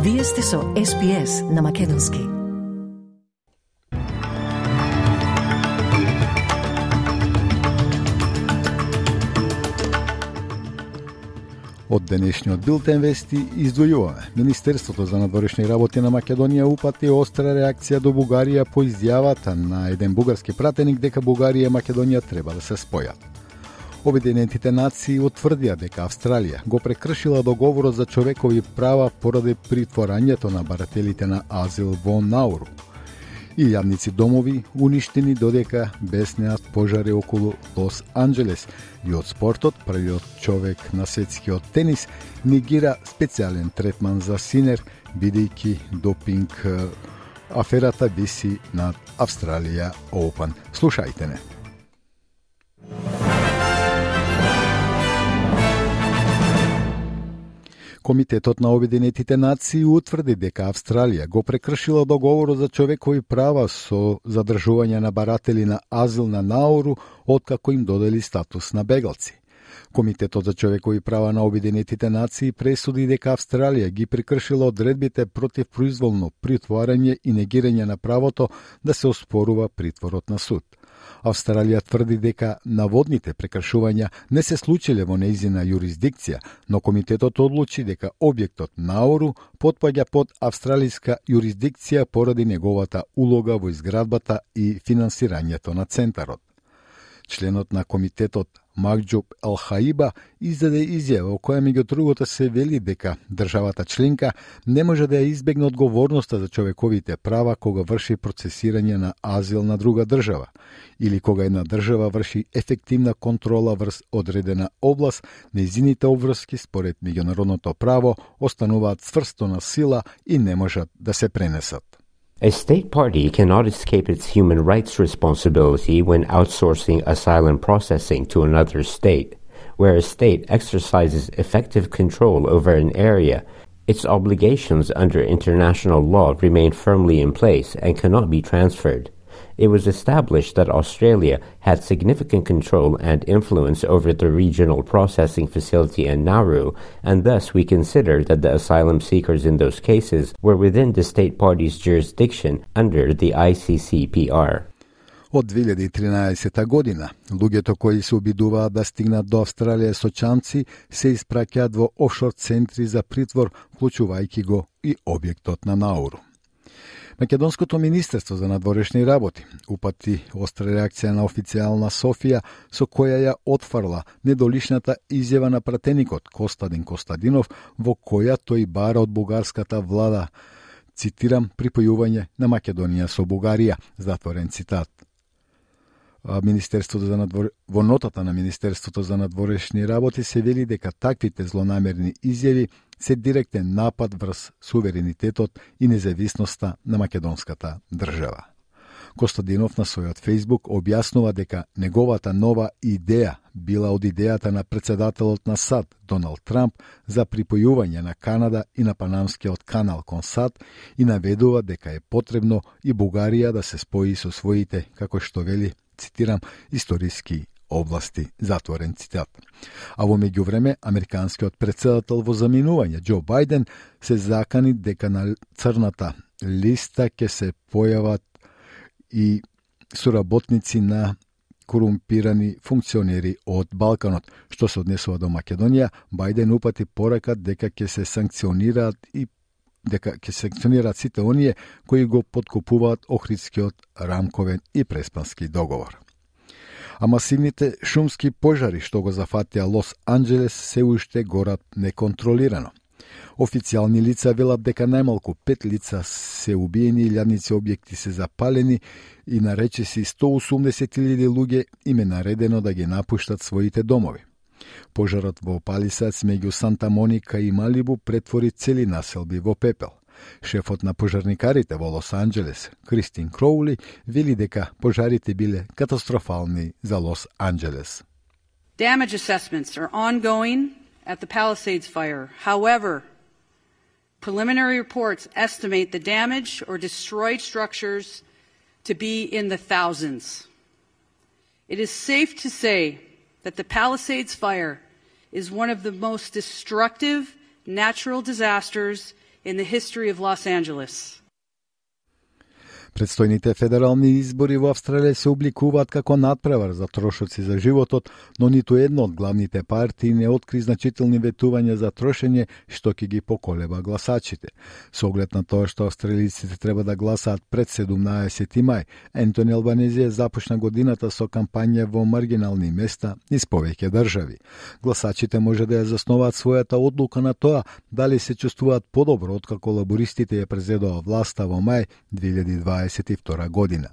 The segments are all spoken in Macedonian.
Вие сте со SPS на Македонски. Од денешниот билтен вести издвојуваме. Министерството за надворешни работи на Македонија упати остра реакција до Бугарија по изјавата на еден бугарски пратеник дека Бугарија и Македонија треба да се спојат. Обединетите нации утврдија дека Австралија го прекршила договорот за човекови права поради притворањето на барателите на азил во Науру. Илјадници домови уништени додека беснеат пожари околу Лос Анџелес и од спортот првиот човек на светскиот тенис негира специјален третман за Синер, бидејќи допинг аферата виси над Австралија Open. Слушајте не. Комитетот на Обединетите нации утврди дека Австралија го прекршила договорот за човекови права со задржување на баратели на азил на Науру откако им додели статус на бегалци. Комитетот за човекови права на Обединетите нации пресуди дека Австралија ги прекршила одредбите против произволно притворање и негирање на правото да се оспорува притворот на суд. Австралија тврди дека наводните прекршувања не се случиле во нејзина јурисдикција, но комитетот одлучи дека објектот Науру потпаѓа под австралиска јурисдикција поради неговата улога во изградбата и финансирањето на центарот. Членот на комитетот Магџуб Ел-Хаиба издаде изјава во која меѓу другото се вели дека државата членка не може да ја избегне одговорноста за човековите права кога врши процесирање на азил на друга држава или кога една држава врши ефективна контрола врз одредена област, нејзините обврски според меѓународното право остануваат цврсто на сила и не можат да се пренесат. A state party cannot escape its human rights responsibility when outsourcing asylum processing to another state. Where a state exercises effective control over an area, its obligations under international law remain firmly in place and cannot be transferred. It was established that Australia had significant control and influence over the regional processing facility in Nauru, and thus we consider that the asylum seekers in those cases were within the state party's jurisdiction under the ICCPR. Од 2013 година, луѓето кои се обидуваат да стигнат до Австралија со чамци се испраќаат во офшор центри за притвор, вклучувајќи го и објектот на Науру. Македонското министерство за надворешни работи упати остра реакција на официјална Софија со која ја отфрла недолишната изјава на пратеникот Костадин Костадинов во која тој бара од бугарската влада, цитирам, припојување на Македонија со Бугарија, затворен цитат. Во нотата на Министерството за надворешни работи се вели дека таквите злонамерни изјави се директен напад врз суверенитетот и независноста на македонската држава. Костадинов на својот Фејсбук објаснува дека неговата нова идеја била од идејата на председателот на САД Доналд Трамп за припојување на Канада и на Панамскиот канал кон САД и наведува дека е потребно и Бугарија да се спои со своите, како што вели, цитирам, историски области, затворен цитат. А во меѓувреме, американскиот председател во заминување Џо Бајден се закани дека на црната листа ќе се појават и соработници на корумпирани функционери од Балканот. Што се однесува до Македонија, Бајден упати порака дека ќе се санкционираат сите оние кои го подкупуваат Охридскиот рамковен и преспански договор. А масивните шумски пожари што го зафатија Лос Анџелес се уште горат неконтролирано. Официјални лица велат дека најмалку 5 лица се убиени, илјадници објекти се запалени и на речиси 180.000 луѓе им е наредено да ги напуштат своите домови. Пожарот во Палисадс меѓу Санта Моника и Малибу претвори цели населби во пепел. Шефот на пожарникарите во Лос Анџелес, Кристин Кроули, вели дека пожарите биле катастрофални за Лос Анџелес. Damage assessments are ongoing at the Palisades fire. However, preliminary reports estimate the damage or destroyed structures to be in the thousands. It is safe to say that the Palisades fire is one of the most destructive natural disasters in the history of Los Angeles. Предстојните федерални избори во Австралија се обликуваат како надпревар за трошоци за животот, но ниту една од главните партии не откри значителни ветувања за трошење што ќе ги поколеба гласачите. Со оглед на тоа што австралиците треба да гласаат пред 17 мај, Ентони Албанези започна годината со кампања во маргинални места низ повеќе држави. Гласачите може да ја засноваат својата одлука на тоа дали се чувствуваат подобро откако лабористите ја презедоа власта во мај 2022 година.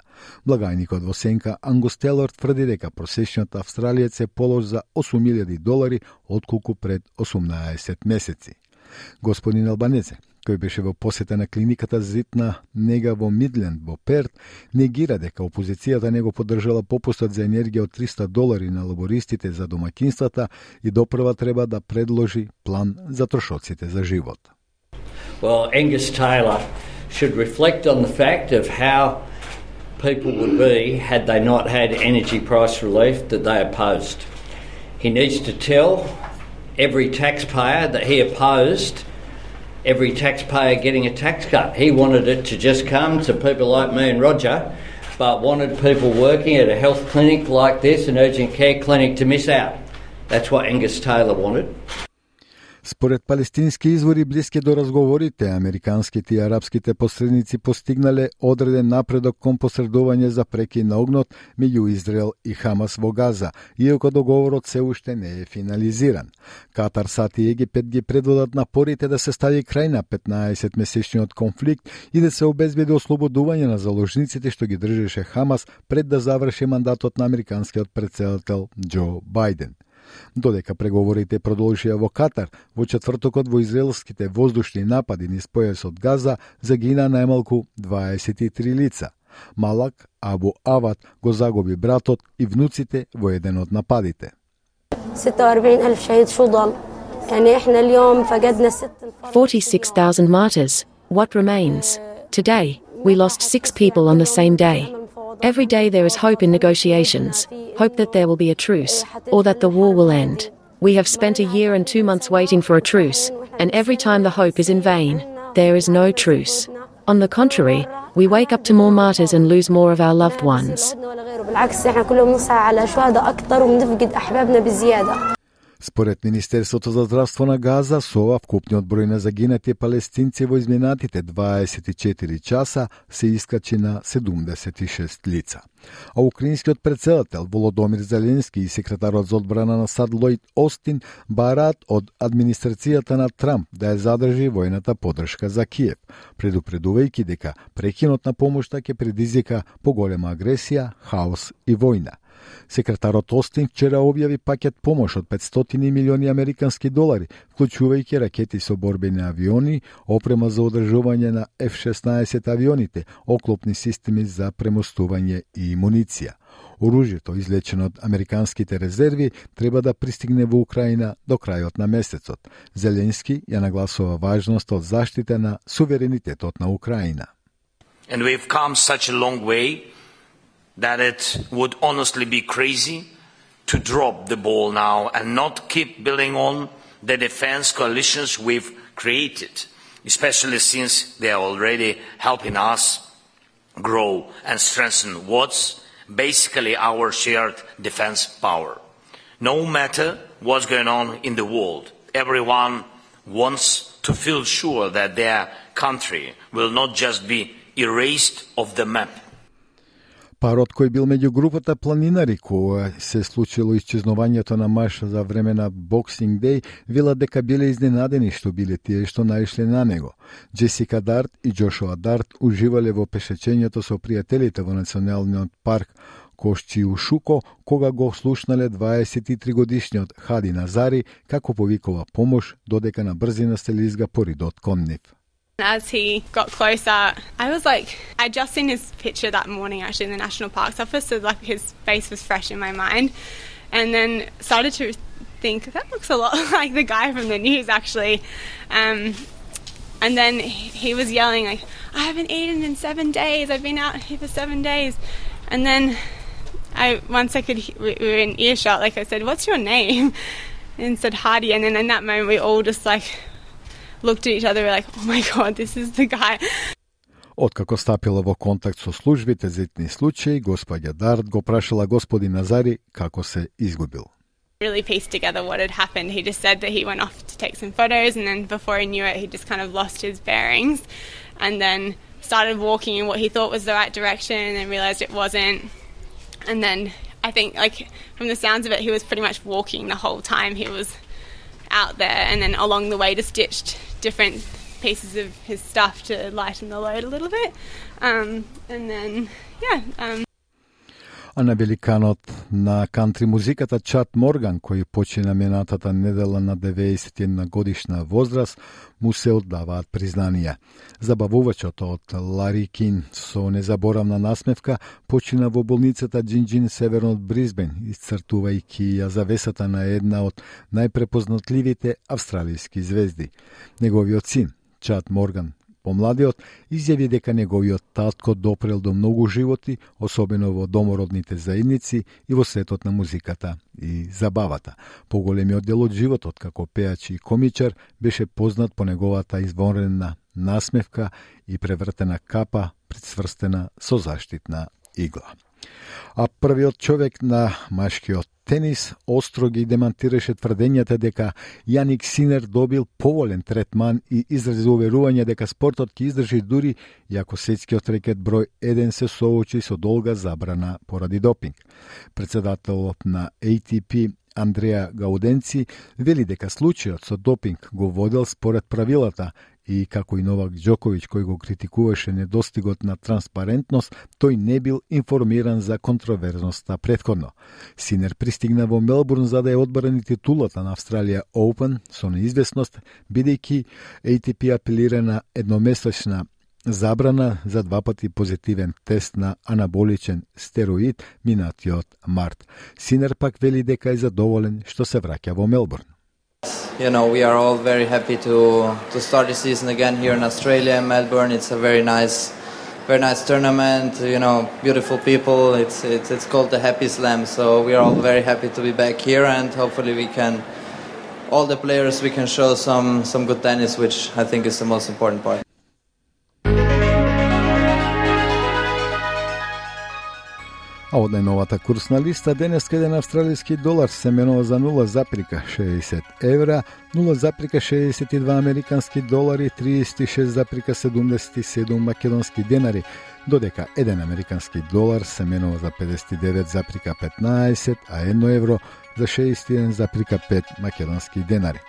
Благајникот во сенка Ангус Телор тврди дека просечниот австралиец е полош за $8,000 отколку пред 18 месеци. Господин Албанезе, кој беше во посета на клиниката Зитна нега во Мидленд во Перт, негира дека опозицијата не го поддржала попустот за енергија од $300 на лабористите за домакинствата и допрва треба да предложи план за трошоците за живот. Well, Angus Taylor should reflect on the fact of how people would be had they not had energy price relief that they opposed. He needs to tell every taxpayer that he opposed every taxpayer getting a tax cut. He wanted it to just come to people like me and Roger, but wanted people working at a health clinic like this, an urgent care clinic, to miss out. That's what Angus Taylor wanted. Според палестински извори блиски до разговорите, американските и арапските посредници постигнале одреден напредок кон посредување за прекин на огнот меѓу Израел и Хамас во Газа, иако договорот се уште не е финализиран. Катар, САД и Египет ги предводат напорите да се стави крај на 15-месечниот конфликт и да се обезбеди ослободување на заложниците што ги држеше Хамас пред да заврши мандатот на американскиот претседател Џо Бајден. Додека преговорите продолжија во Катар, во четвртокот во израелските воздушни напади низ појасот Газа загина најмалку 23 лица. Малак Абу Авад го загуби братот и внуците во еден од нападите. 46,000 martyrs. What remains? Today, we lost 6 people on the same day. Every day there is hope in negotiations, hope that there will be a truce, or that the war will end. We have spent a year and 2 months waiting for a truce, and every time the hope is in vain, there is no truce. On the contrary, we wake up to more martyrs and lose more of our loved ones. Според Министерството за здравство на Газа, со ова вкупниот број на загинати палестинци во изминатите 24 часа се искачи на 76 лица. А украинскиот претседател Володомир Зеленски и секретарот за одбрана на САД Лојд Остин бараат од администрацијата на Трамп да ја задржи војната поддршка за Киев, предупредувајќи дека прекинот на помошта ќе предизвика поголема агресија, хаос и војна. Секретарот Остин вчера објави пакет помош од $500 милиони американски долари, вклучувајќи ракети со борбени авиони, опрема за одржување на F-16 авионите, оклопни системи за премостување и муниција. Оружјето, извлечено од американските резерви, треба да пристигне во Украина до крајот на месецот. Зеленски ја нагласува важноста од заштита на суверенитетот на Украина. And we've come such a long way that it would honestly be crazy to drop the ball now and not keep building on the defense coalitions we've created, especially since they are already helping us grow and strengthen what's basically our shared defense power. No matter what's going on in the world, everyone wants to feel sure that their country will not just be erased off the map. Парот кој бил меѓу групата планинари која се случило исчезнувањето на Маш за време на Боксинг Деј, велат дека биле изненадени што биле тие што наишле на него. Джесика Дарт и Джошуа Дарт уживале во пешечењето со пријателите во националниот парк Кошчиушуко, кога го слушнале 23-годишниот Хади Назари како повикува помош додека на брзина се лизга по ридот кон нив. As he got closer, I was like, I'd just seen his picture that morning actually in the National Parks Office, so like his face was fresh in my mind, and then started to think, that looks a lot like the guy from the news actually, and then he was yelling like, I haven't eaten in 7 days, I've been out here for 7 days, and then once we were in earshot, like I said, what's your name? And said Hardy, and then in that moment we all just like looked at each other, we're like, oh my God, this is the guy. Откако стапила во контакт со службите за итни случаи, господја Дарт го прашала господин Назари како се изгубил. Really pieced together what had happened. He just said that he went off to take some photos, and then before he knew it, he just kind of lost his bearings and then started walking in what he thought was the right direction and then realized it wasn't. And then I think, like, from the sounds of it, he was pretty much walking the whole time he was out there, and then along the way just ditched different pieces of his stuff to lighten the load a little bit. And then, А на великанот на кантри музиката Чат Морган, кој почина минатата недела на 91 годишна возраст, му се оддаваат признанија. Забавувачот од Лари Кин со незаборавна насмевка почина во болницата Джинджин северно од Бризбен, исцртувајќи ја завесата на една од најпрепознатливите австралијски звезди. Неговиот син, Чат Морган, помладиот, изјави дека неговиот татко допрел до многу животи, особено во домородните заедници и во светот на музиката и забавата. Поголемиот дел од животот како пеач и комичар беше познат по неговата извонредна насмевка и превртена капа прицврстена со заштитна игла. А првиот човек на машкиот тенис остро ги демантираше тврдењата дека Јаник Синер добил поволен третман и изрази уверување дека спортот ќе издржи дури и ако светскиот рекет број 1 се соочи со долга забрана поради допинг. Председателот на ATP Андреа Гауденци вели дека случајот со допинг го водел според правилата и како и Новак Џоковиќ кој го критикуваше недостигот на транспарентност, тој не бил информиран за контроверзноста претходно. Синер пристигна во Мелбурн за да ја одбрани титулата на Австралија Open со неизвестност, бидејќи ATP апелира на едномесечна забрана за 2 пати позитивен тест на анаболичен стероид минатиот март. Синер пак вели дека е задоволен што се враќа во Мелбурн. You know, we are all very happy to start the season again here in Australia, in Melbourne. It's a very nice tournament. You know, beautiful people. It's called the Happy Slam. So we are all very happy to be back here, and hopefully we can, all the players, we can show some good tennis, which I think is the most important part. А од најновата курсна листа, денеска еден австралијски долар се менува за 0,60 евра, 0,62 американски долари, 36,77 македонски денари, додека еден американски долар се менува за 59,15, а 1 евро за 61,5 македонски денари.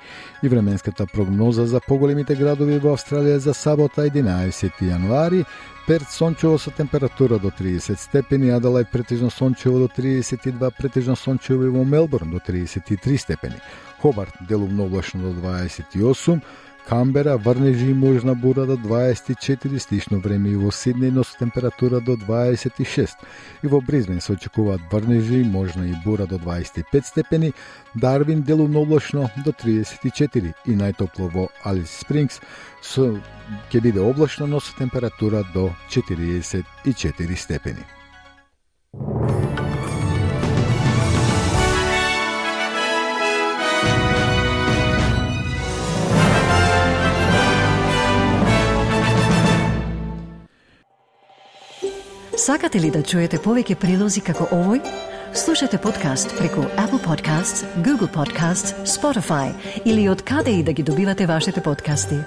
И временската прогноза за поголемите градови во Австралија за сабота 11 јануари: Перт сончево со температура до 30 степени, Аделајд претежно сончево до 32, претежно сончево и во Мелбурн до 33 степени, Хобарт делумно облачно до 28, Камбера врнежи и можна бура до 24, слично време и во Сиднеј, но со температура до 26. И во Бризбен се очекуваат врнежи и можна и бура до 25 степени, Дарвин делумно облачно до 34 и најтопло во Алис Спрингс ќе биде облачно, но со температура до 44 степени. Сакате ли да чуете повеќе прилози како овој? Слушате подкаст преку Apple Podcasts, Google Podcasts, Spotify или од каде и да ги добивате вашите подкасти.